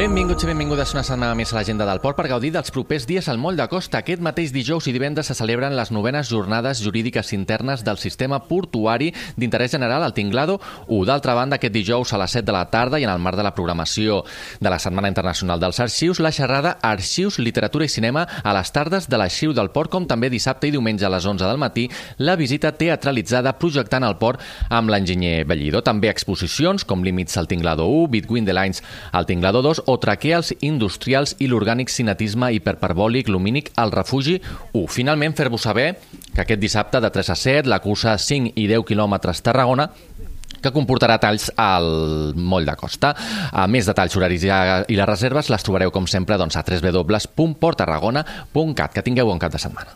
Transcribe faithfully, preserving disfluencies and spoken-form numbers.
Benvinguts i benvingudes una setmana més a l'agenda del port per gaudir dels propers dies al Moll de Costa. Aquest mateix dijous i divendres se celebren les novenes jornades jurídiques internes del sistema portuari d'interès general al Tinglado u. D'altra banda, aquest dijous a les set de la tarda i en el marc de la programació de la Setmana Internacional dels Arxius, la xerrada Arxius, Literatura i Cinema a les tardes de l'Arxiu del Port, com també dissabte i diumenge a les onze del matí, la visita teatralitzada projectant el port amb l'enginyer Bellido. També exposicions com Límits al Tinglado u, Between the Lines al Tinglado dos o Traqueals industrials i l'orgànic cinetisme hiperperbòlic lumínic al Refugi u. Finalment, fer-vos saber que aquest dissabte de tres a set la cursa cinc i deu quilòmetres Tarragona, que comportarà talls al Moll de Costa. A més detalls, horaris i les reserves les trobareu com sempre doncs, a w w w punt port tarragona punt cat. Que tingueu bon cap de setmana.